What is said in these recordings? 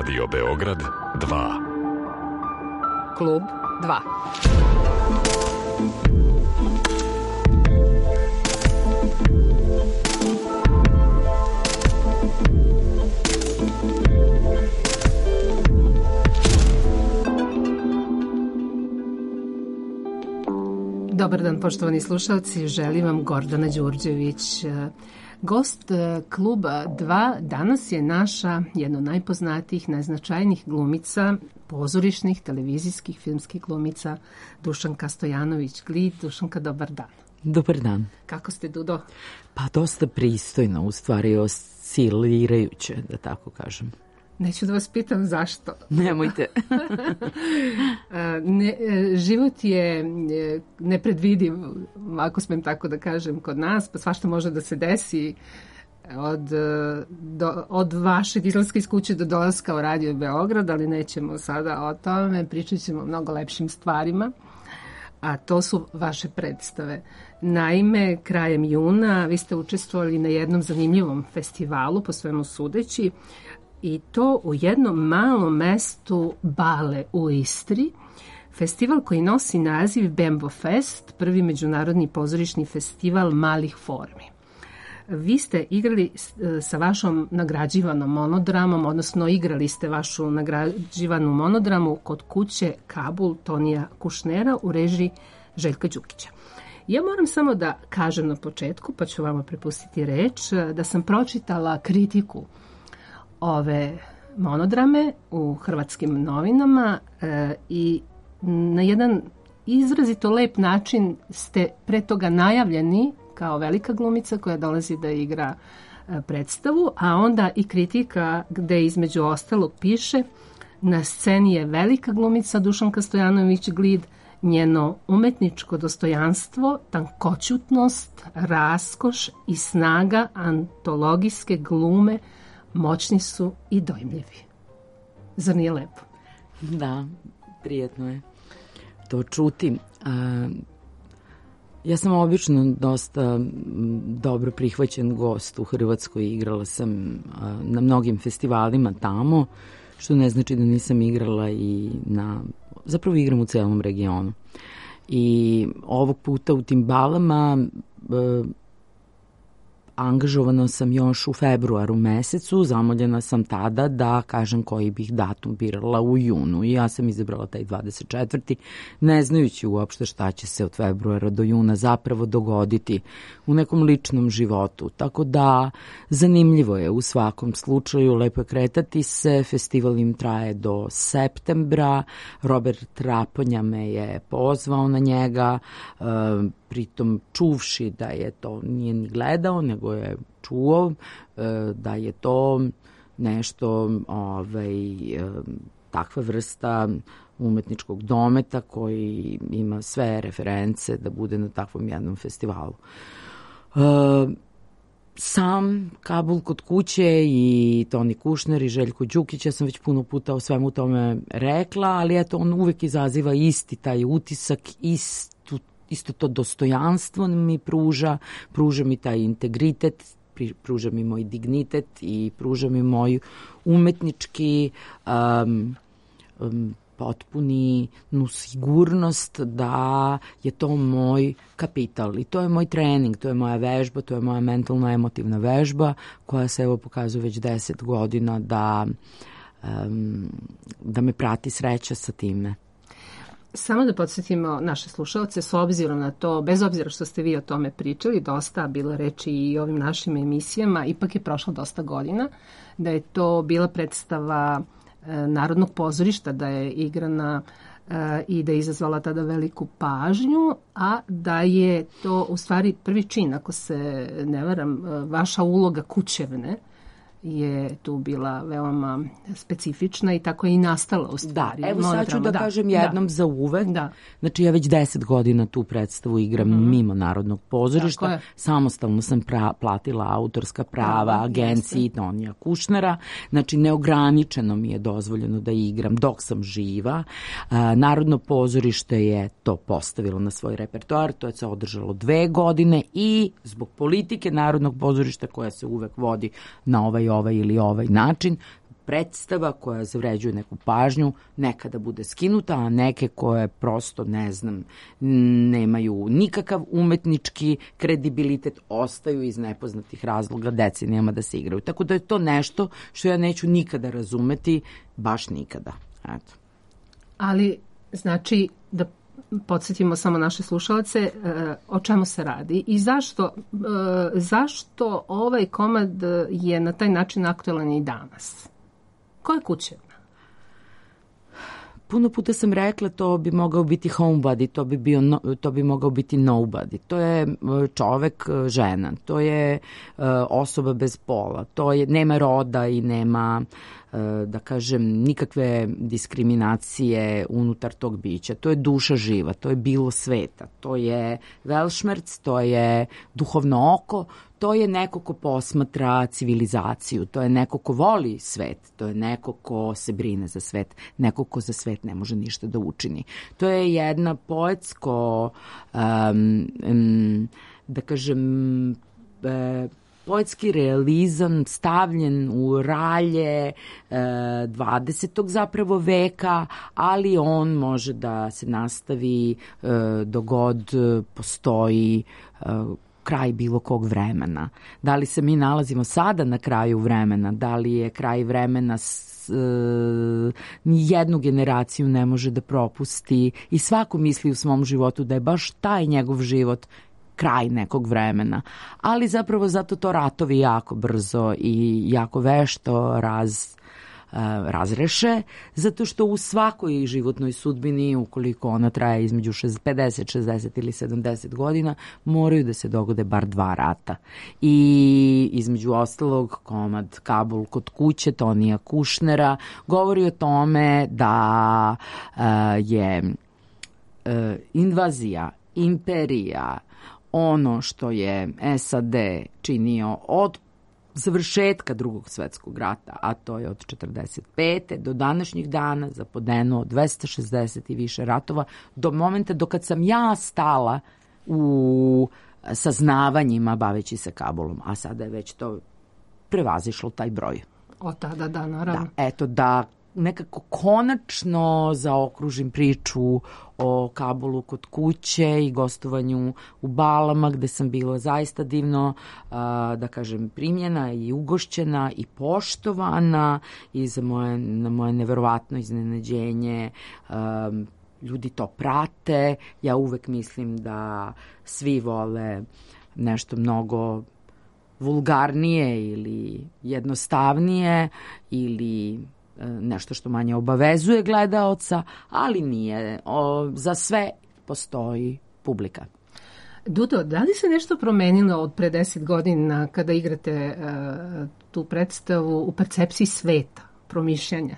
Radio Beograd 2. Klub 2. Dobar dan, poštovani slušalci, želim vam Gordana Đurđević. Gost Kluba 2 danas je naša jedna od najpoznatijih, najznačajnijih glumica, pozorišnih, televizijskih, filmskih glumica, Dušanka Stojanović-Glid. Dušanka, dobar dan. Dobar dan. Kako ste, Dudo? Pa dosta pristojno, u stvari oscilirajuće, da tako kažem. Neću da vas pitam zašto. Nemojte. Život je nepredvidiv, ako smem tako da kažem, kod nas, pa svašta može da se desi od vašeg izlaska iz kuće do dolaska u Radio Beograd, ali nećemo sada o tome, pričat ćemo o mnogo lepšim stvarima, a to su vaše predstave. Naime, krajem juna vi ste učestvovali na jednom zanimljivom festivalu, po svemu sudeći, i to u jednom malom mestu Bale u Istri, festival koji nosi naziv Bembo Fest, prvi međunarodni pozorišni festival malih formi. Vi ste igrali sa vašom nagrađivanom monodramom, odnosno igrali ste vašu nagrađivanu monodramu kod kuće Kabul Tonija Kušnera u režiji Željka Đukića. Ja moram samo da kažem na početku, pa ću vama prepustiti reč, da sam pročitala kritiku ove monodrame u hrvatskim novinama i na jedan izrazito lep način ste pre toga najavljeni kao velika glumica koja dolazi da igra predstavu, a onda i kritika gde između ostalog piše: na sceni je velika glumica Dušanka Stojanović-Glid, njeno umetničko dostojanstvo, tankoćutnost, raskoš i snaga antologijske glume moćni su i dojmljivi. Zar nije lepo? Da, prijetno je to čuti. Ja sam obično dosta dobro prihvaćen gost u Hrvatskoj. Igrala sam na mnogim festivalima tamo, što ne znači da nisam igrala i zapravo igram u celom regionu. I ovog puta u tim balama angažovana sam još u februaru mesecu, zamoljena sam tada da kažem koji bih datum birala u junu i ja sam izabrala taj 24. ne znajući uopšte šta će se od februara do juna zapravo dogoditi u nekom ličnom životu. Tako da zanimljivo je u svakom slučaju, lepo je kretati se, festival im traje do septembra, Robert Traponja me je pozvao na njega, pritom čuvši da je to, nije ni gledao, nego je čuo da je to nešto, takva vrsta umetničkog dometa koji ima sve reference da bude na takvom jednom festivalu. Sam Kabul kod kuće i Toni Kušner i Željko Đukić, ja sam već puno puta o svemu tome rekla, ali eto, on uvek izaziva isti taj utisak, isto to dostojanstvo mi pruža mi taj integritet, pruža mi moj dignitet i pruža mi moj umetnički potpunu sigurnost da je to moj kapital i to je moj trening, to je moja vežba, to je moja mentalno-emotivna vežba koja se evo pokazuje već 10 godina da me prati sreća sa time. Samo da podsjetimo naše slušalce, s obzirom na to, bez obzira što ste vi o tome pričali, dosta bilo reči i ovim našim emisijama, ipak je prošlo dosta godina, da je to bila predstava Narodnog pozorišta, da je igrana i da je izazvala tada veliku pažnju, a da je to u stvari prvi čin, ako se ne varam, vaša uloga kućevne je tu bila veoma specifična i tako je i nastala u stvari. Da, evo sad ću da kažem jednom za uvek. Da. Znači ja već 10 godina tu predstavu igram mimo Narodnog pozorišta. Samostalno sam platila autorska prava agenciji Tonija Kušnera. Znači neograničeno mi je dozvoljeno da igram dok sam živa. Narodno pozorište je to postavilo na svoj repertoar. To je se održalo 2 godine i zbog politike Narodnog pozorišta koja se uvek vodi na ovaj ili ovaj način, predstava koja zavređuje neku pažnju nekada bude skinuta, a neke koje prosto, ne znam, nemaju nikakav umetnički kredibilitet, ostaju iz nepoznatih razloga decenijama da se igraju. Tako da je to nešto što ja neću nikada razumeti, baš nikada. Eto. Ali, znači, da podsjetimo samo naše slušalce, o čemu se radi i zašto ovaj komad je na taj način aktualan i danas? Koja kuća? Puno puta sam rekla to bi mogao biti homebody, to bi mogao biti nobody. To je čovek, žena, to je osoba bez pola, to je, nema roda i nema, da kažem, nikakve diskriminacije unutar tog bića. To je duša živa, to je bilo sveta, to je velšmerc, to je duhovno oko, to je neko ko posmatra civilizaciju, to je neko ko voli svet, to je neko ko se brine za svet, neko ko za svet ne može ništa da učini. To je jedna poetsko, da kažem, poetski realizam stavljen u ralje 20. zapravo veka, ali on može da se nastavi dok god postoji kraj bilo kog vremena. Da li se mi nalazimo sada na kraju vremena, da li je kraj vremena ni jednu generaciju ne može da propusti i svako misli u svom životu da je baš taj njegov život kraj nekog vremena. Ali zapravo zato to ratovi jako brzo i jako vešto razreše, zato što u svakoj životnoj sudbini, ukoliko ona traje između 50, 60 ili 70 godina, moraju da se dogode bar 2 rata. I između ostalog komad Kabul kod kuće Tonija Kušnera govori o tome da je invazija, imperija, ono što je SAD činio od završetka Drugog svetskog rata, a to je od 45. do današnjih dana zapodenuo 260 i više ratova, do momenta dokad sam ja stala u saznavanjima baveći se Kabulom, a sada je već to prevazišlo taj broj. Od tada, da, naravno. Da, eto, da nekako konačno zaokružim priču o Kabulu kod kuće i gostovanju u Balama, gde sam bila zaista divno, da kažem, primljena i ugošćena i poštovana i na moje neverovatno iznenađenje ljudi to prate. Ja uvek mislim da svi vole nešto mnogo vulgarnije ili jednostavnije ili nešto što manje obavezuje gledaoca, ali nije. Za sve postoji publika. Dudo, da li se nešto promenilo od pre 10 godina kada igrate tu predstavu u percepciji sveta, promišljanja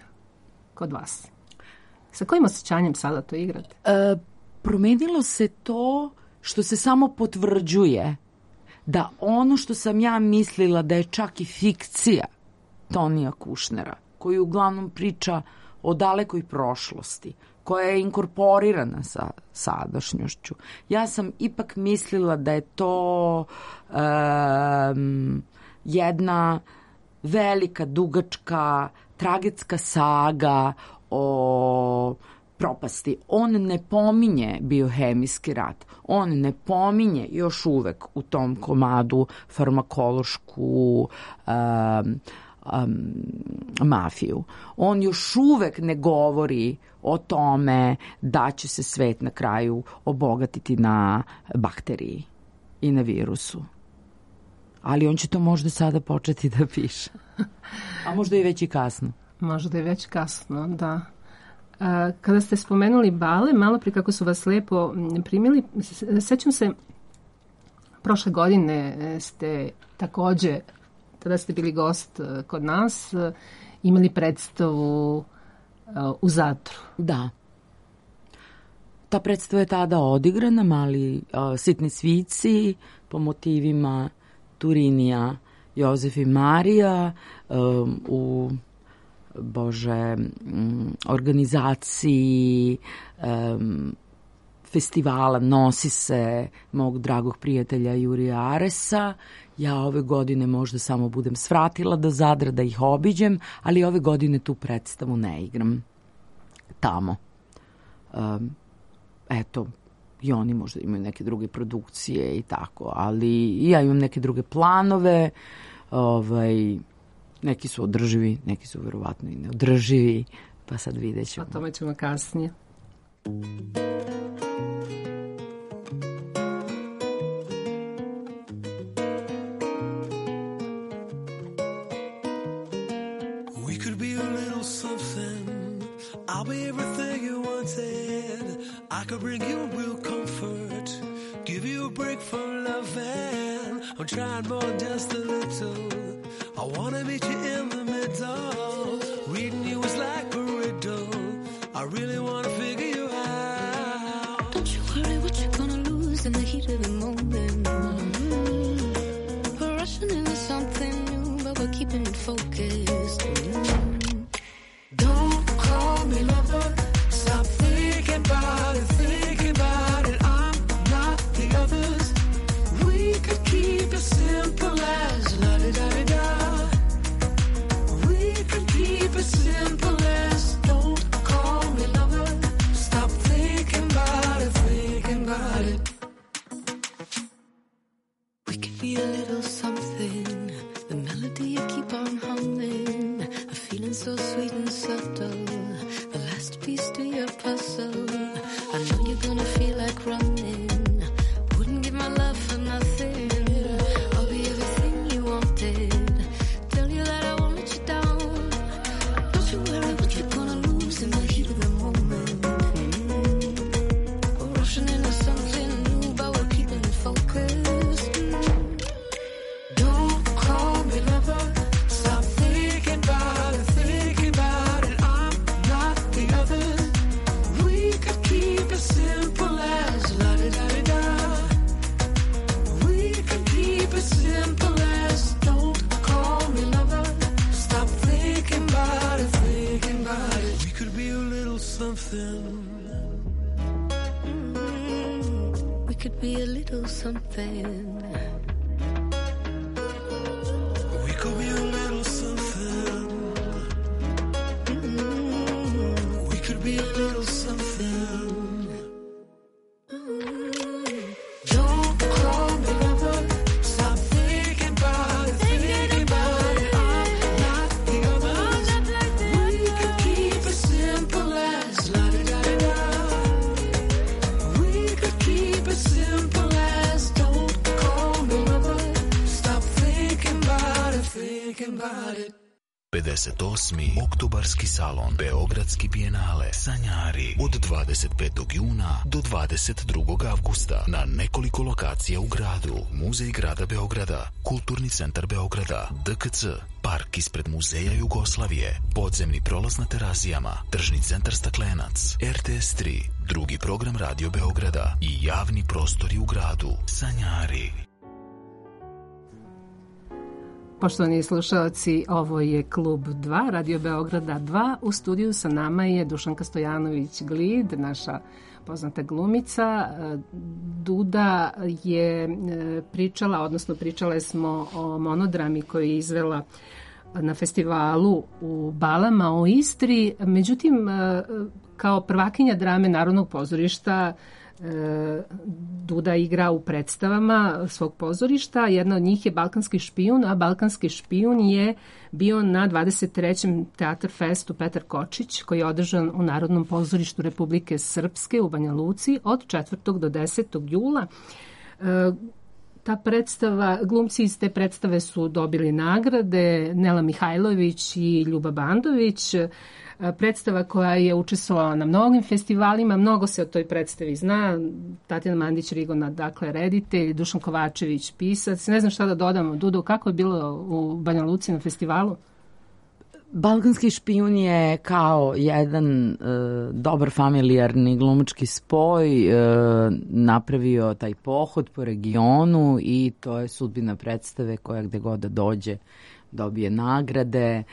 kod vas? Sa kojim osjećanjem sada to igrate? Promenilo se to što se samo potvrđuje da ono što sam ja mislila da je čak i fikcija Tonija Kušnera, koji uglavnom priča o dalekoj prošlosti, koja je inkorporirana sa sadašnjošću. Ja sam ipak mislila da je to jedna velika, dugačka, tragetska saga o propasti. On ne pominje biohemijski rat. On ne pominje još uvek u tom komadu farmakološku mafiju. On još uvek ne govori o tome da će se svet na kraju obogatiti na bakteriji i na virusu. Ali on će to možda sada početi da piše. A možda je već i kasno. Možda je već kasno, da. Kada ste spomenuli bale, malo prije kako su vas lepo primili, sećam se, prošle godine ste takođe, tada ste bili gost kod nas, imali predstavu u Zadru. Da. Ta predstava je tada odigrana, Mali sitni svici, po motivima Turinija, Jozef i Marija, u organizaciji festivala Nosi se mog dragog prijatelja Jurija Aresa. Ja ove godine možda samo budem svratila do Zadra da ih obiđem, ali ove godine tu predstavu ne igram tamo. Eto, i oni možda imaju neke druge produkcije i tako, ali ja imam neke druge planove, neki su održivi, neki su verovatno i neodrživi, pa sad vidjet ćemo. O tome ćemo kasnije. We could be a little something. I'll be everything you wanted. I could bring you real comfort, give you a break from loving. I'm trying more than just a little. I wanna meet you in the middle. Reading you is like a riddle. I really wanna figure you out. Don't you worry what you're gonna lose in the heat of the moment. We're rushing into something new, but we're keeping it focused. Don't call me lover. Stop thinking about it, thinking about it. I'm not the others. We could keep it simple as la-di-da-di-da. We could keep it simple as don't call me lover. Stop thinking about it, thinking about it. We could be a little something. The melody you keep on humming. A feeling so sweet and subtle. The last piece to your puzzle. I know you're gonna feel like running. Wouldn't give my love for nothing. I'll be everything you wanted. Tell you that I won't let you down. Don't you worry what you're gonna lose in the heat of the moment. We're rushing into something new, but we're keeping it focused. Don't call me lover. Stop thinking about it, thinking about it. I'm not the others. We could keep it simple as la-di-da-di-da. We could keep it simple as don't call me lover. Stop thinking about it, thinking about it. We could be a little something. We could be a little something. We could be a little something. We could be a little something. Don't call me lover. Stop thinking about it, thinking about it. I'm not the others. We could keep it simple as la-di-da-di-da. We could keep it simple as don't call me lover. Stop thinking about it, thinking about it. 58. Oktobarski salon Beogradski bijenale Sanjari od 25. juna do 22. avgusta na nekoliko lokacija u gradu. Muzej grada Beograda, Kulturni centar Beograda, DKC, park ispred Muzeja Jugoslavije, podzemni prolaz na Terazijama, tržni centar Staklenac, RTS 3, drugi program Radio Beograda i javni prostori u gradu. Sanjari. Poštovani slušalci, ovo je Klub 2, Radio Beograda 2. U studiju sa nama je Dušanka Stojanović-Glid, naša poznata glumica. Duda je pričala, odnosno pričale smo o monodrami koju je izvela na festivalu u Balama u Istri. Međutim, kao prvakinja drame Narodnog pozorišta Duda igra u predstavama svog pozorišta. Jedna od njih je Balkanski špijun, a Balkanski špijun je bio na 23. Teatar Festu Petar Kočić, koji je održan u Narodnom pozorištu Republike Srpske u Banja Luci od 4. do 10. jula. Ta predstava, glumci iz te predstave su dobili nagrade, Nela Mihajlović i Ljuba Bandović. Predstava koja je učestvovala na mnogim festivalima, mnogo se o toj predstavi zna. Tatjana Mandić-Rigona, dakle, reditelj, Dušan Kovačević, pisac. Ne znam šta da dodam. Dudo, kako je bilo u Banja Luci na festivalu? Balkanski špijun je kao jedan dobar familijarni glumački spoj napravio taj pohod po regionu i to je sudbina predstave koja gde god da dođe dobije nagrade.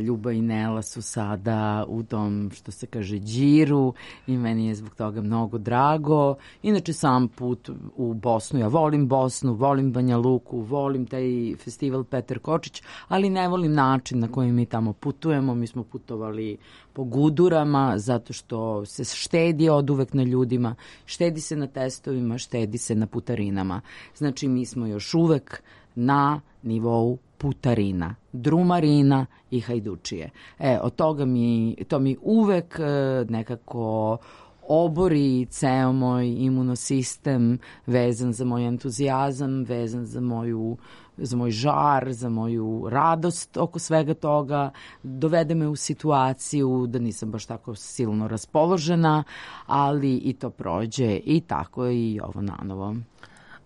Ljuba i Nela su sada u tom, što se kaže, džiru i meni je zbog toga mnogo drago. Inače, sam put u Bosnu, ja volim Bosnu, volim Banja Luku, volim taj festival Petar Kočić, ali ne volim način na koji mi tamo putujemo. Mi smo putovali po gudurama, zato što se štedi od uvek na ljudima, štedi se na testovima, štedi se na putarinama. Znači, mi smo još uvek na nivou putarina, drumarina i hajdučije. Od toga to mi uvek nekako obori ceo moj imunosistem vezan za moj entuzijazam, vezan za moj žar, za moju radost oko svega toga, dovede me u situaciju da nisam baš tako silno raspoložena, ali i to prođe i tako je i ovo nanovo.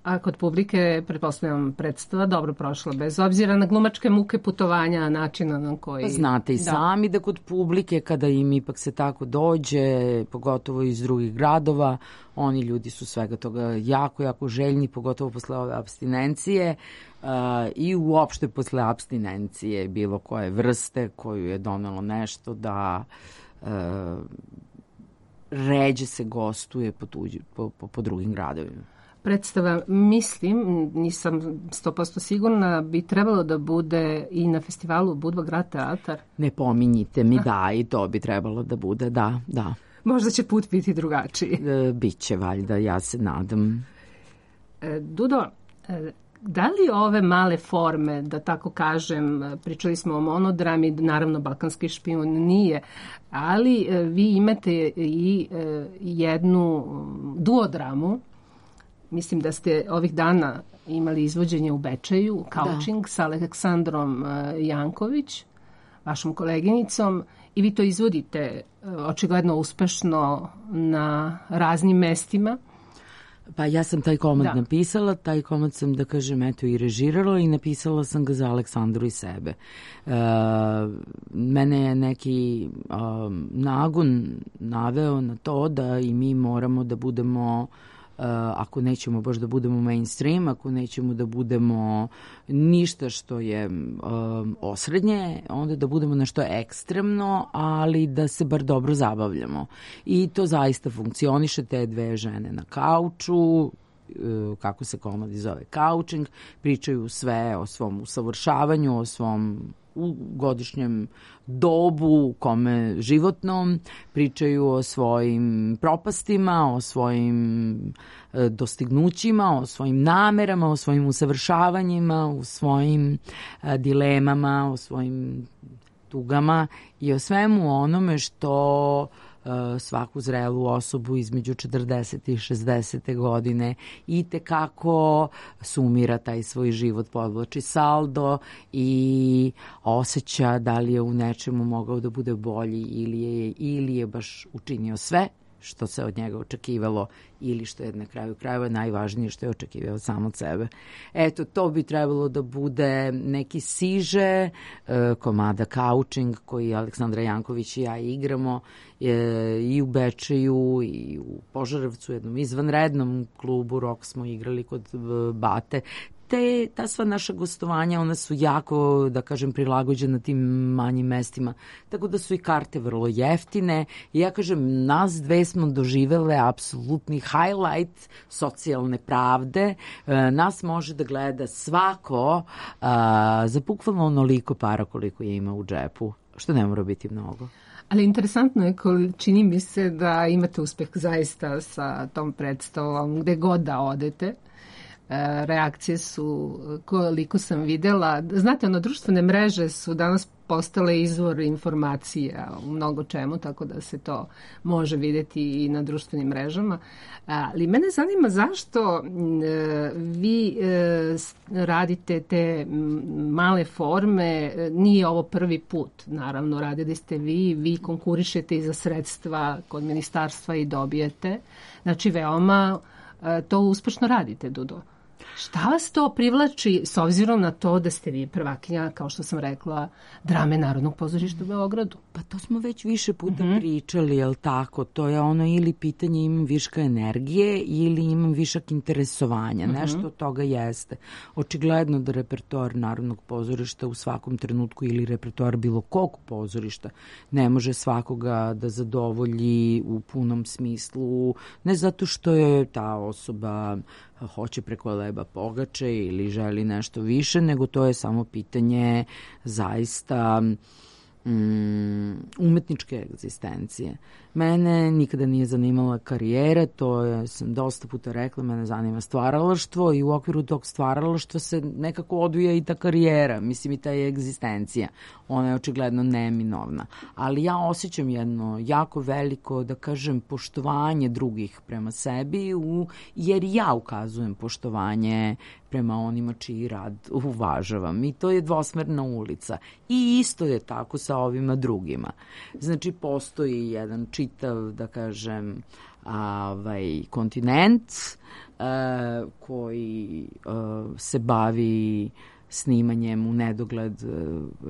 A kod publike, pretpostavljam, predstava dobro prošla, bez obzira na glumačke muke putovanja, načina na koji... Znate i sami da kod publike, kada im ipak se tako dođe, pogotovo iz drugih gradova, oni ljudi su svega toga jako, jako željni, pogotovo posle ove apstinencije i uopšte posle apstinencije bilo koje vrste koju je donelo nešto da ređe se gostuje po drugim gradovima. Predstava, mislim, nisam 100% sigurna, bi trebalo da bude i na festivalu Budva grad teatar. Ne pominjite mi, da, i to bi trebalo da bude, da. Možda će put biti drugačiji. Biće, valjda, ja se nadam. Dudo, da li ove male forme, da tako kažem, pričali smo o monodrami, naravno Balkanski špijun nije, ali vi imate i jednu duodramu. Mislim da ste ovih dana imali izvođenje u Bečeju, Couching, sa Aleksandrom Janković, vašom koleginicom, i vi to izvodite očigledno uspešno na raznim mestima. Pa ja sam taj komad napisala, taj komad sam, da kažem, eto, i režirala i napisala sam ga za Aleksandru i sebe. Mene je neki nagon naveo na to da i mi moramo da budemo, ako nećemo baš da budemo mainstream, ako nećemo da budemo ništa što je osrednje, onda da budemo nešto ekstremno, ali da se bar dobro zabavljamo. I to zaista funkcioniše, te dve žene na kauču, kako se komadi zove, couching, pričaju sve o svom usavršavanju, o svom godišnjem dobu, kome životnom, pričaju o svojim propastima, o svojim dostignućima, o svojim namerama, o svojim usavršavanjima, o svojim dilemama, o svojim tugama i o svemu onome što svaku zrelu osobu između 40. i 60. godine i tekako sumira taj svoj život, podvlači saldo i osjeća da li je u nečemu mogao da bude bolji ili je baš učinio sve što se od njega očekivalo ili što je na kraju krajeva najvažnije što je očekivao sam od sebe. Eto, to bi trebalo da bude neki siže komada Couching koji Aleksandra Janković i ja igramo i u Bečeju i u Požarevcu, jednom izvanrednom klubu Rock smo igrali kod Bate. Ta sva naša gostovanja, ona su jako, da kažem, prilagođena tim manjim mestima, tako da su i karte vrlo jeftine. I ja kažem, nas dve smo doživele apsolutni highlight socijalne pravde. Nas može da gleda svako za bukvalno onoliko para koliko je ima u džepu, što ne mora biti mnogo. Ali interesantno je, čini mi se da imate uspeh zaista sa tom predstavom, gde god da odete. Reakcije su, koliko sam videla, znate, društvene mreže su danas postale izvor informacija u mnogo čemu, tako da se to može vidjeti i na društvenim mrežama. Ali mene zanima zašto vi radite te male forme, nije ovo prvi put, naravno, radili ste vi konkurišete i za sredstva kod ministarstva i dobijete, znači veoma to uspešno radite, Dudo. Šta vas to privlači s obzirom na to da ste vi prvakinja, kao što sam rekla, drame Narodnog pozorišta u Beogradu? Pa to smo već više puta pričali, jel tako? To je ono ili pitanje imam viška energije ili imam višak interesovanja. Nešto od toga jeste. Očigledno da repertoar Narodnog pozorišta u svakom trenutku ili repertoar bilo kog pozorišta ne može svakoga da zadovolji u punom smislu. Ne zato što je ta osoba hoće preko leba pogače ili želi nešto više, nego to je samo pitanje zaista umetničke egzistencije. Mene nikada nije zanimala karijera, sam dosta puta rekla, mene zanima stvaralaštvo i u okviru tog stvaralaštva se nekako odvija i ta karijera, mislim i ta je egzistencija. Ona je očigledno neminovna. Ali ja osjećam jedno jako veliko, da kažem, poštovanje drugih prema sebi, jer ja ukazujem poštovanje prema onima čiji rad uvažavam. I to je dvosmerna ulica. I isto je tako sa ovima drugima. Znači, postoji jedan čitav, da kažem, kontinent koji se bavi snimanjem u nedogled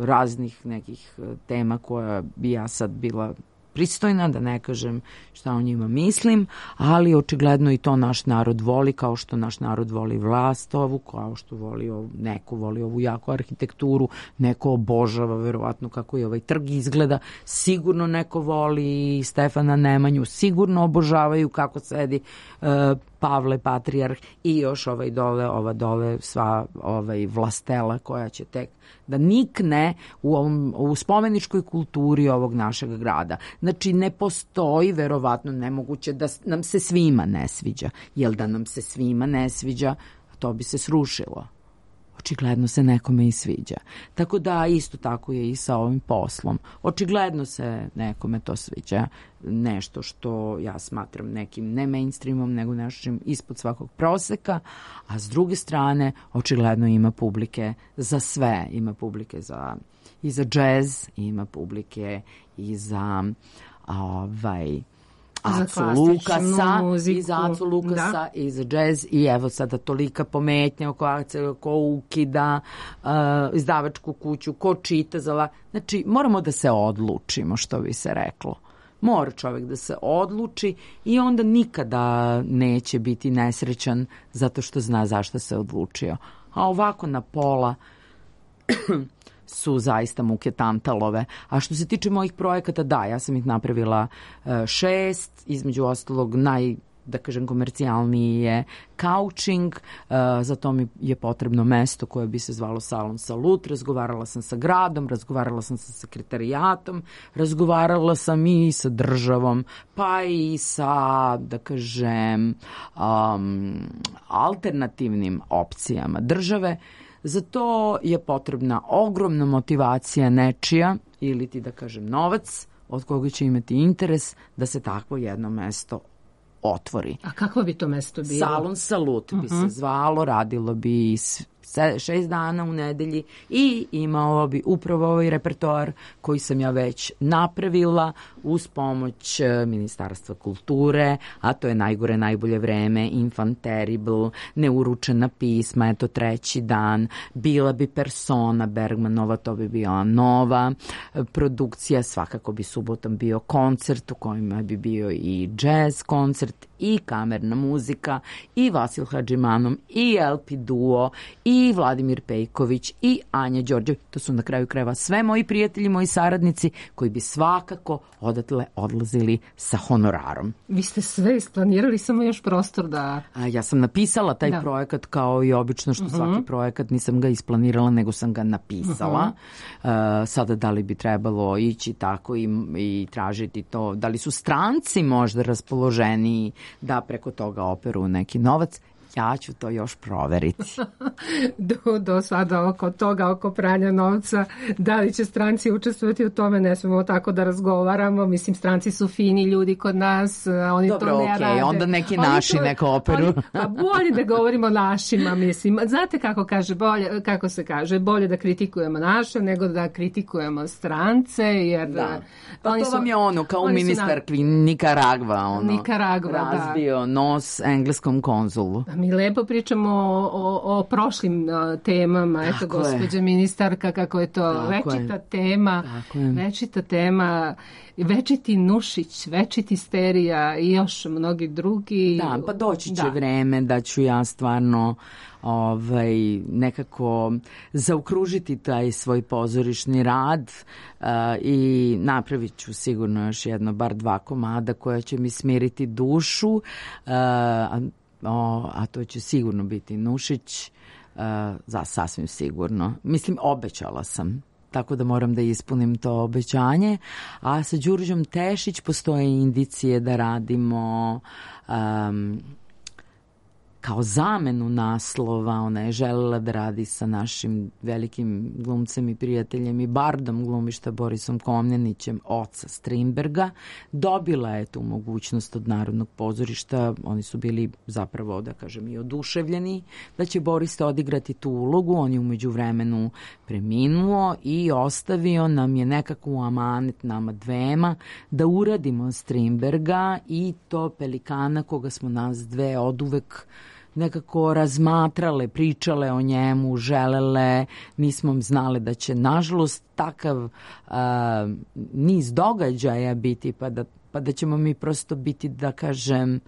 raznih nekih tema koja bi ja sad bila pristojna, da ne kažem šta o njima mislim, ali očigledno i to naš narod voli, kao što naš narod voli vlast ovu, kao što neko voli ovu jako arhitekturu, neko obožava verovatno kako je ovaj trg izgleda, sigurno neko voli Stefana Nemanju, sigurno obožavaju kako sedi Pavle Patrijarh i još ova dole sva vlastela koja će tek da nikne u spomeničkoj kulturi ovog našeg grada. Znači, ne postoji verovatno nemoguće da nam se svima ne sviđa. Jer da nam se svima ne sviđa, to bi se srušilo. Očigledno se nekome i sviđa. Tako da isto tako je i sa ovim poslom. Očigledno se nekome to sviđa. Nešto što ja smatram nekim ne mainstreamom, nego nečim ispod svakog proseka, a s druge strane očigledno ima publike za sve. Ima publike i za džez, ima publike i za Acu Lukasa, i za Acu Lukasa, i za džez, i evo sada tolika pometnja oko akcije, ko ukida izdavačku kuću, ko čita Znači, moramo da se odlučimo, što bi se reklo. Mora čovjek da se odluči i onda nikada neće biti nesrećan zato što zna zašto se odlučio. A ovako na pola su zaista muke tantalove. A što se tiče mojih projekata, da, ja sam ih napravila 6, između ostalog da kažem, komercijalniji je couching, za to mi je potrebno mesto koje bi se zvalo Salon Salut, razgovarala sam sa gradom, razgovarala sam sa sekretarijatom, razgovarala sam i sa državom, pa i sa, da kažem, alternativnim opcijama države. Za to je potrebna ogromna motivacija nečija, ili ti da kažem novac, od koga će imati interes da se takvo jedno mesto otvori. A kako bi to mesto bilo? Salon Salut bi se zvalo, radilo bi 6 dana u nedelji i imalo bi upravo ovaj repertoar koji sam ja već napravila uz pomoć Ministarstva kulture, a to je Najgore, najbolje vreme, Infant Terrible, Neuručena pisma, eto 3. dan, bila bi Persona Bergmanova, to bi bila nova produkcija, svakako bi subotom bio koncert u kojima bi bio i jazz koncert i kamerna muzika i Vasil Hadžimanov i LP Duo i Vladimir Pejković i Anja Đorđev. To su na kraju krajeva sve moji prijatelji, moji saradnici koji bi svakako odatle odlazili sa honorarom. Vi ste sve isplanirali, samo još prostor da... Ja sam napisala taj projekat kao i obično što svaki projekat, nisam ga isplanirala, nego sam ga napisala. Sada da li bi trebalo ići tako i tražiti to, da li su stranci možda raspoloženiji da preko toga operu neki novac, ja ću to još proveriti. Do sada oko toga, oko pranja novca, da li će stranci učestvovati u tome, ne smemo tako da razgovaramo. Mislim, stranci su fini ljudi kod nas, oni dobro, to ne rade. Onda neki naši neko operu. Pa bolje da govorimo našima, mislim. Znate kako se kaže, bolje da kritikujemo naše nego da kritikujemo strance, jer... Da. Pa to vam je ono, kao ministar Nikaragva, Nikaragva, razbio nos engleskom konzulu. mi lepo pričamo o prošlim temama. Eto, Tako je. gospođa ministarka, kako je to Tako večita je. tema, Tako je. večita tema, večiti Nušić, večiti Sterija i još mnogi drugi. Da, pa doći će Da. vreme da ću ja stvarno nekako zaokružiti taj svoj pozorišni rad i napravit ću sigurno još jedno, bar 2 komada koja će mi smiriti dušu, a to će sigurno biti Nušić, sasvim sigurno. Mislim, obećala sam. Tako da moram da ispunim to obećanje. A sa Đurđom Tešić postoje indicije da radimo kao zamenu naslova. Ona je želela da radi sa našim velikim glumcem i prijateljem i bardom glumišta Borisom Komnenićem, oca Strindberga. Dobila je tu mogućnost od Narodnog pozorišta. Oni su bili zapravo, da kažem, i oduševljeni da će Boris odigrati tu ulogu. On je umeđu vremenu preminuo i ostavio nam je nekako u amanet nama dvema da uradimo Strindberga i to Pelikana koga smo nas dve oduvek nekako razmatrale, pričale o njemu, želele, nismo znale da će nažalost takav niz događaja biti pa da ćemo mi prosto biti, da kažem,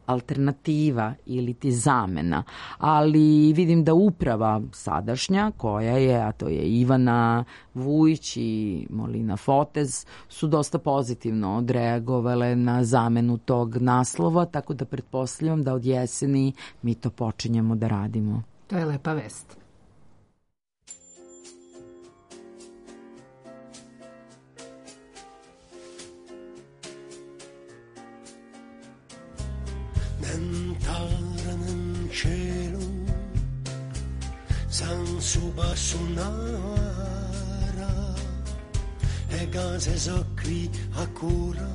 alternativa ili ti zamena. Ali vidim da uprava sadašnja koja je, a to je Ivana Vujić i Molina Fotez, su dosta pozitivno odreagovale na zamenu tog naslova, tako da pretpostavljam da od jeseni mi to počinjemo da radimo. To je lepa vest. Nell'entrare cielo Sansuba sunara e case socri a cura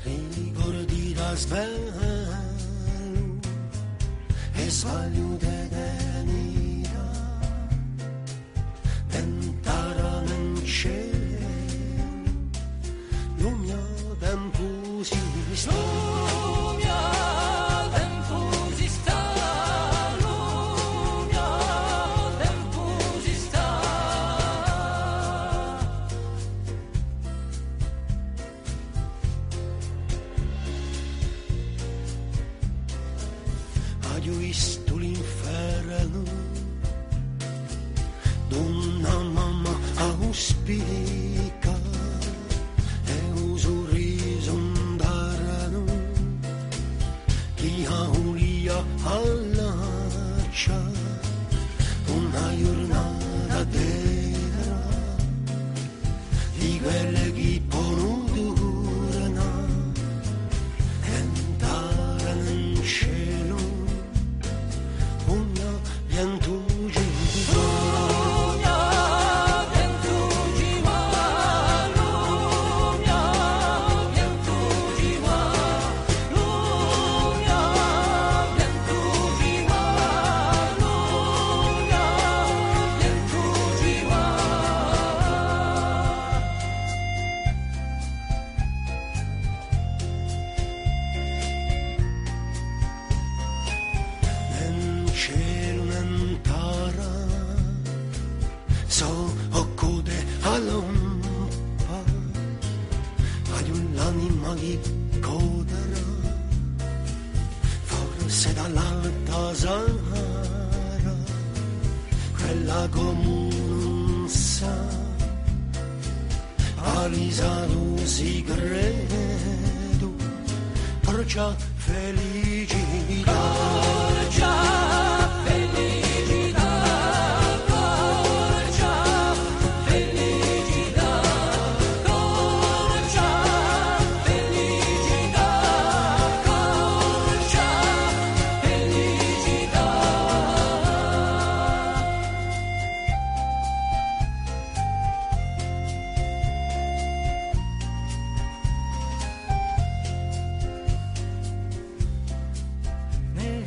ricordi da svelo e sbaglio de denira Nell'entrare nel cielo lo mio tempo si sta Ho visto l'inferno d'una mamma auspica e un sorriso andarono chi ha ulia all'accia una giornata vera di quelle che non durano entrare nel cielo Forse dall'alta Sahara, quella come sa, Alisa lo si credo, porgia felicità, porgia felicità, porgia felicità, porgia felicità, porgia felicità. Nel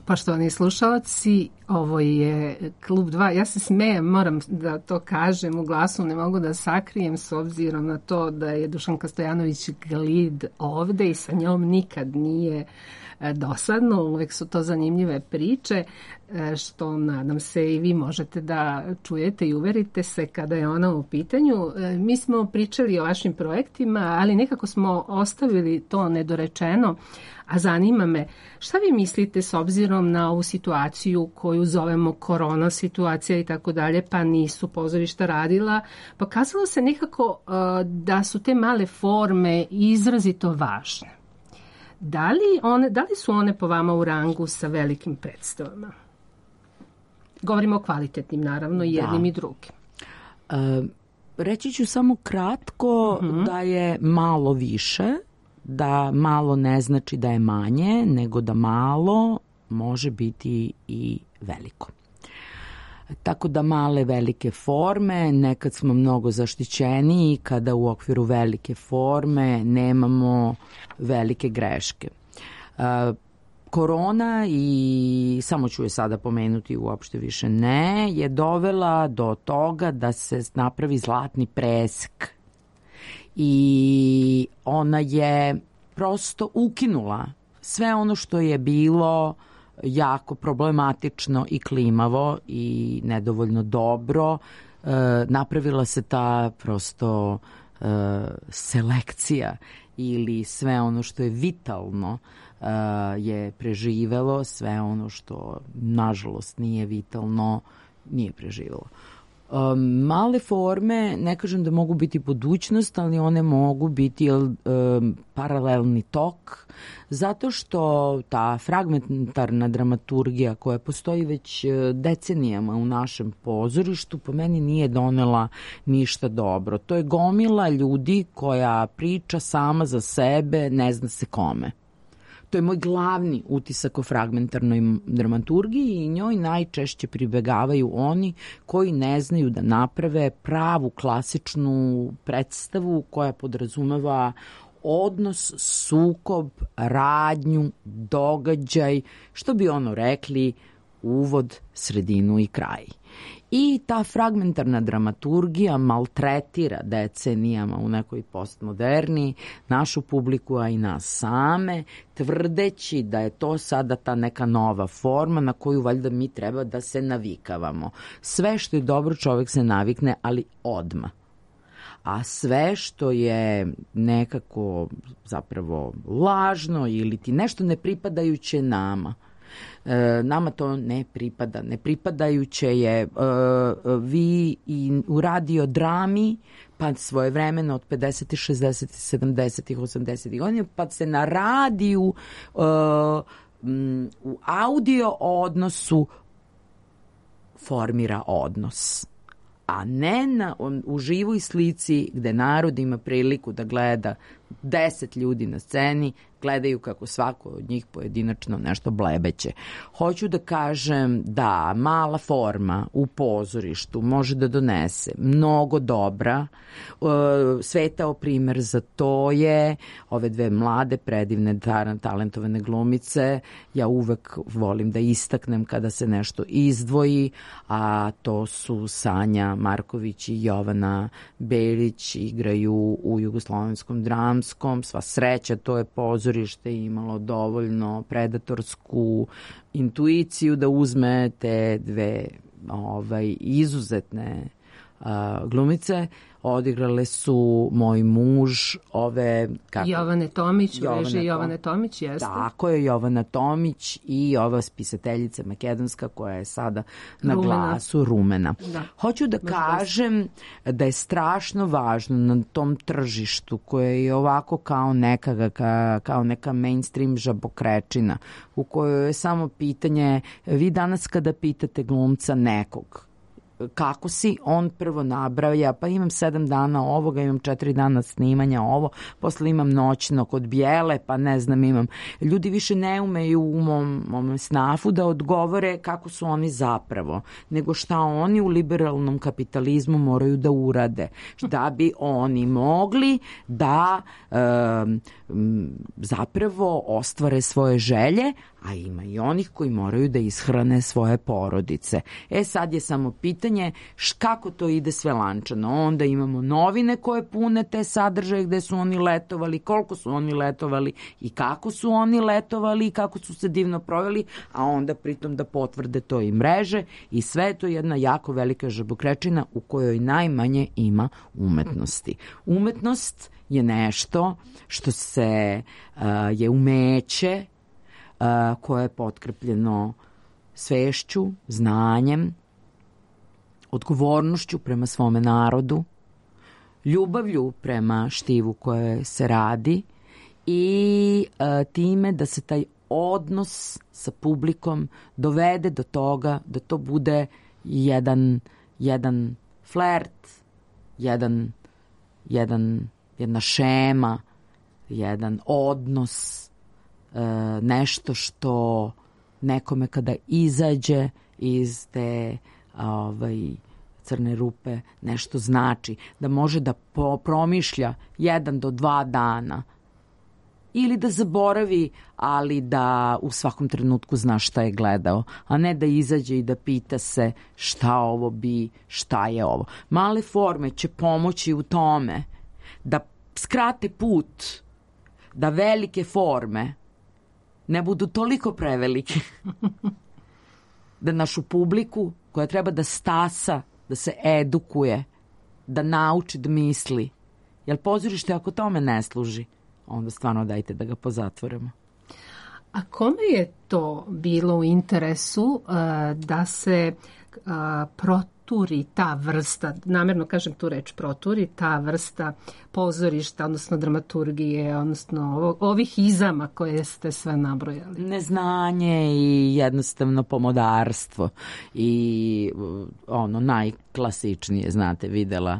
Poštovani slušalci, ovo je Klub 2. Ja se smejem, moram da to kažem u glasu, ne mogu da sakrijem s obzirom na to da je Dušanka Stojanović Glid ovde i sa njom nikad nije dosadno, uvek su to zanimljive priče, što nadam se i vi možete da čujete i uverite se kada je ona u pitanju. Mi smo pričali o vašim projektima, ali nekako smo ostavili to nedorečeno, a zanima me šta vi mislite s obzirom na ovu situaciju koju zovemo korona situacija i tako dalje, pa nisu pozorišta radila. Pokazalo se nekako da su te male forme izrazito važne. Da li su one po vama u rangu sa velikim predstavama? Govorimo o kvalitetnim, naravno, i jednim i drugim. Reći ću samo kratko da je malo više, da malo ne znači da je manje, nego da malo može biti i veliko. Tako da male, velike forme, nekad smo mnogo zaštićeniji kada u okviru velike forme nemamo velike greške. Korona, i samo ću je sada pomenuti, uopšte više ne, je dovela do toga da se napravi zlatni presek. I ona je prosto ukinula sve ono što je bilo jako problematično i klimavo i nedovoljno dobro. Napravila se ta prosto selekcija ili sve ono što je vitalno je preživelo, sve ono što nažalost nije vitalno nije preživelo. Male forme, ne kažem da mogu biti budućnost, ali one mogu biti paralelni tok, zato što ta fragmentarna dramaturgija koja postoji već decenijama u našem pozorištu po meni nije donela ništa dobro. To je gomila ljudi koja priča sama za sebe, ne zna se kome. To je moj glavni utisak o fragmentarnoj dramaturgiji i njoj najčešće pribegavaju oni koji ne znaju da naprave pravu klasičnu predstavu koja podrazumeva odnos, sukob, radnju, događaj, što bi ono rekli, uvod, sredinu i kraj. I ta fragmentarna dramaturgija maltretira decenijama u nekoj postmoderni našu publiku, a i nas same, tvrdeći da je to sada ta neka nova forma na koju valjda mi treba da se navikavamo. Sve što je dobro čovjek se navikne, ali odmah. A sve što je nekako zapravo lažno ili ti nešto nepripadajuće nama, nama to ne pripada. Nepripadajuće je vi i u radiodrami, pa svojevremeno od 50. 60. 70. 80. godina, pa se na radiju u audio odnosu formira odnos, a ne u živoj slici gde narod ima priliku da gleda 10 ljudi na sceni, gledaju kako svako od njih pojedinačno nešto blebeće. Hoću da kažem da mala forma u pozorištu može da donese mnogo dobra. Svetao primer za to je ove dve mlade, predivne, talentovane glumice. Ja uvek volim da istaknem kada se nešto izdvoji, a to su Sanja Marković i Jovana Belić, igraju u Jugoslovenskom dramskom. Sva sreća, to je pozorište imalo dovoljno predatorsku intuiciju da uzme te dve izuzetne glumice. Odigrale su Moj muž, Jovane Tomić, Jovane Tomić, jeste? Tako je, Jovana Tomić i ova spisateljica makedonska koja je sada na glasu, Rumena. Da. Hoću da kažem da je strašno važno na tom tržištu koje je ovako kao neka mainstream žabokrečina u kojoj je samo pitanje, vi danas kada pitate glumca nekog kako si, on prvo nabraja, pa imam 7 dana ovoga, imam 4 dana snimanja ovo, posle imam noćno kod Bijele, pa ne znam, imam. Ljudi više ne umeju u mom snafu da odgovore kako su oni zapravo, nego šta oni u liberalnom kapitalizmu moraju da urade, da bi oni mogli da zapravo ostvare svoje želje, a ima i onih koji moraju da ishrane svoje porodice. Sad je samo pitanje kako to ide sve lančano. Onda imamo novine koje pune te sadržaje gde su oni letovali, koliko su oni letovali i kako su oni letovali i kako su se divno proveli, a onda pritom da potvrde to i mreže i sve je to jedna jako velika žabokrečina u kojoj najmanje ima umetnosti. Umetnost je nešto što je umeće koje je potkrepljeno svešću, znanjem, odgovornošću prema svome narodu, ljubavlju prema štivu koje se radi i time da se taj odnos sa publikom dovede do toga da to bude jedan flert, jedna šema, jedan odnos, nešto što nekome kada izađe iz te crne rupe nešto znači, da može da promišlja 1 do 2 dana ili da zaboravi, ali da u svakom trenutku zna šta je gledao, a ne da izađe i da pita se šta ovo bi, šta je ovo. Male forme će pomoći u tome da skrate put, da velike forme ne budu toliko prevelike da našu publiku koja treba da stasa, da se edukuje, da nauči da misli. Jer pozorište ako tome ne služi, onda stvarno dajte da ga pozatvorimo. A kome je to bilo u interesu da se proturi ta vrsta, namjerno kažem tu reč proturi, ta vrsta pozorišta, odnosno dramaturgije, odnosno ovih izama koje ste sve nabrojali? Neznanje i jednostavno pomodarstvo i ono najklasičnije, znate, videla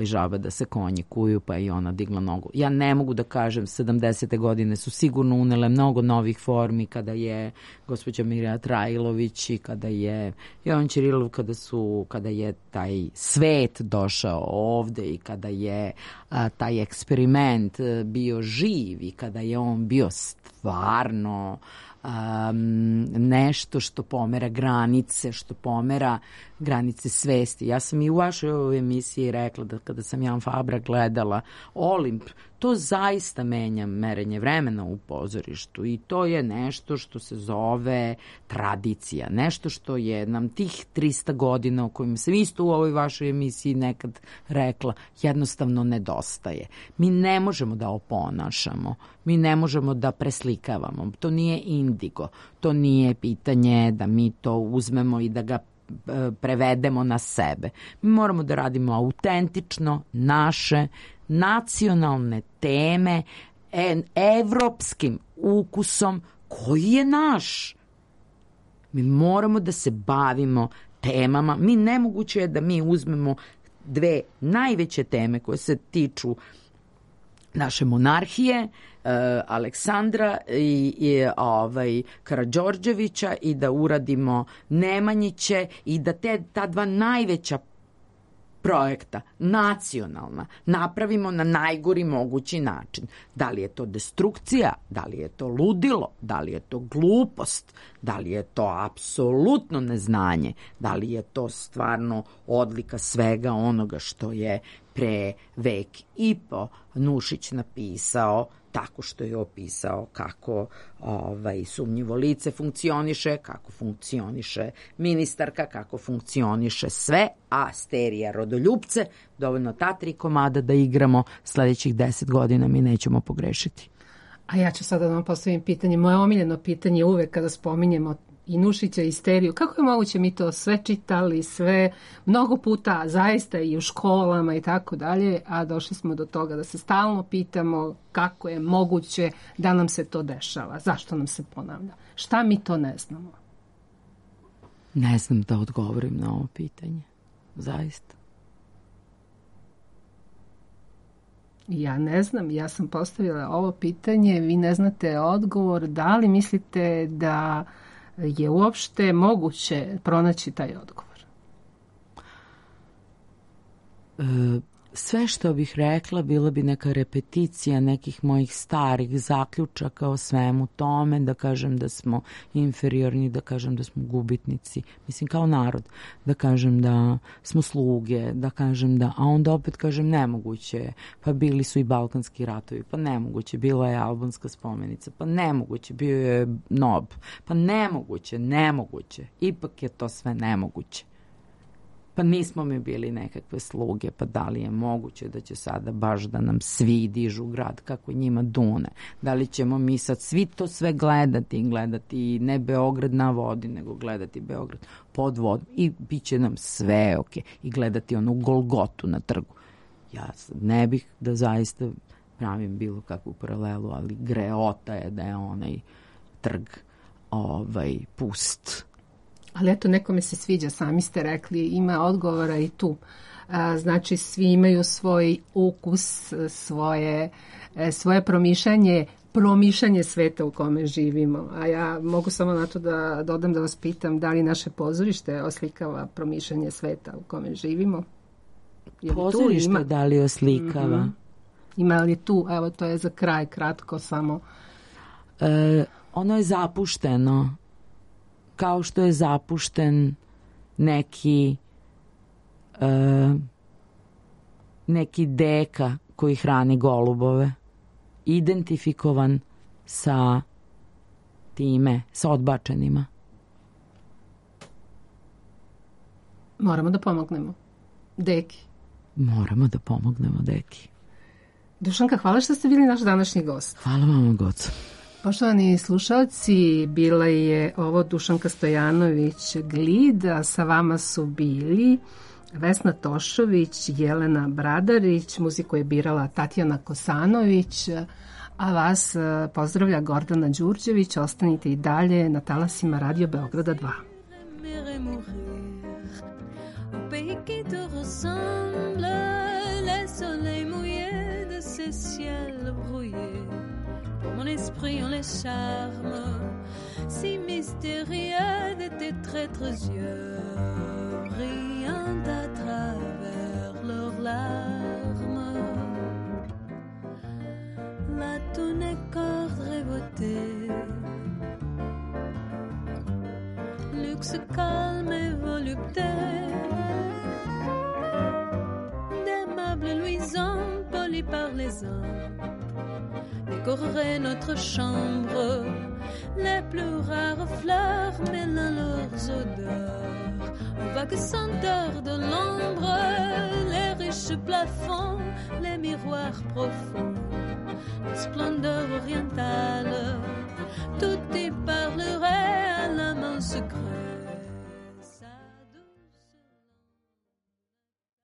žaba da se konji kuju, pa i ona digla nogu. Ja ne mogu da kažem, 70. godine su sigurno unele mnogo novih formi, kada je gospođa Mirja Trajlović i kada je Jovan Ćirilov, kada je taj svet došao ovde i kada je taj eksperiment bio živ i kada je on bio stvarno nešto što pomera granice, što pomera granice svesti. Ja sam i u vašoj emisiji rekla da kada sam Jan Fabra gledala Olimp, to zaista menja merenje vremena u pozorištu i to je nešto što se zove tradicija, nešto što je nam tih 300 godina o kojim sam isto u ovoj vašoj emisiji nekad rekla, jednostavno nedostaje. Mi ne možemo da oponašamo, mi ne možemo da preslikavamo, to nije indigo, to nije pitanje da mi to uzmemo i da ga prevedemo na sebe. Mi moramo da radimo autentično naše nacionalne teme evropskim ukusom koji je naš. Mi moramo da se bavimo temama. Nemoguće je da mi uzmemo 2 najveće teme koje se tiču naše monarhije, Aleksandra i Karađorđevića i da uradimo Nemanjiće i da ta 2 najveća projekta, nacionalna, napravimo na najgori mogući način. Da li je to destrukcija, da li je to ludilo, da li je to glupost, da li je to apsolutno neznanje, da li je to stvarno odlika svega onoga što je pre vek i po Nušić napisao tako što je opisao kako sumnjivo lice funkcioniše, kako funkcioniše ministarka, kako funkcioniše sve, a sterija rodoljupce, dovoljno ta 3 komada da igramo, sledećih 10 godina mi nećemo pogrešiti. A ja ću sada da vam postavim pitanje, moje omiljeno pitanje uvek kada spominjemo i Nušića i steriju, kako je moguće, mi to sve čitali, sve mnogo puta, zaista i u školama i tako dalje, a došli smo do toga da se stalno pitamo kako je moguće da nam se to dešava, zašto nam se ponavlja, šta mi to ne znamo? Ne znam da odgovorim na ovo pitanje, zaista. Ja ne znam, ja sam postavila ovo pitanje, vi ne znate odgovor, da li mislite da je uopšte moguće pronaći taj odgovor? sve što bih rekla bila bi neka repeticija nekih mojih starih zaključaka o svemu tome, da kažem da smo inferiorni, da kažem da smo gubitnici, mislim kao narod, da kažem da smo sluge, da kažem da, a onda opet kažem nemoguće, pa bili su i balkanski ratovi, pa nemoguće, bila je albanska spomenica, pa nemoguće, bio je NOB, pa nemoguće, ipak je to sve nemoguće. Pa nismo mi bili nekakve sluge, pa da li je moguće da će sada baš da nam svi dižu grad kako njima dune? Da li ćemo mi sad svi to sve gledati ne Beograd na vodi, nego gledati Beograd pod vodom i bit će nam sve ok i gledati onu Golgotu na trgu. Ja ne bih da zaista pravim bilo kakvu paralelu, ali greota je da je onaj trg pust. Ali eto, nekome se sviđa, sami ste rekli, ima odgovora i tu. Znači, svi imaju svoj ukus, svoje promišljanje sveta u kome živimo. A ja mogu samo na to da dodam, da vas pitam, da li naše pozorište oslikava promišljanje sveta u kome živimo? Pozorište da li oslikava? Mm-hmm. Ima li tu, evo to je za kraj, kratko samo. Ono je zapušteno. Kao što je zapušten neki deka koji hrani golubove, identifikovan sa time, sa odbačenima. Moramo da pomognemo deki. Moramo da pomognemo deki. Dušanka, hvala što ste bili naš današnji gost. Hvala vam, Goco. Poštovani slušalci, bila je ovo Dušanka Stojanović Glid, a sa vama su bili Vesna Tošović, Jelena Bradarić, muziku je birala Tatjana Kosanović, a vas pozdravlja Gordana Đurđević. Ostanite i dalje na talasima Radio Beograda 2. Mon esprit ont les charmes si mystérieux de tes traîtres yeux, brillant à travers leurs larmes. La tournée corde rébotée, luxe calme et volupté, des meubles luisants polis par les uns décorerait notre chambre. Les plus rares fleurs mêlant leurs odeurs aux vagues senteurs de l'ombre, les riches plafonds, les miroirs profonds, la splendeur orientale, tout y parlerait à la main secrète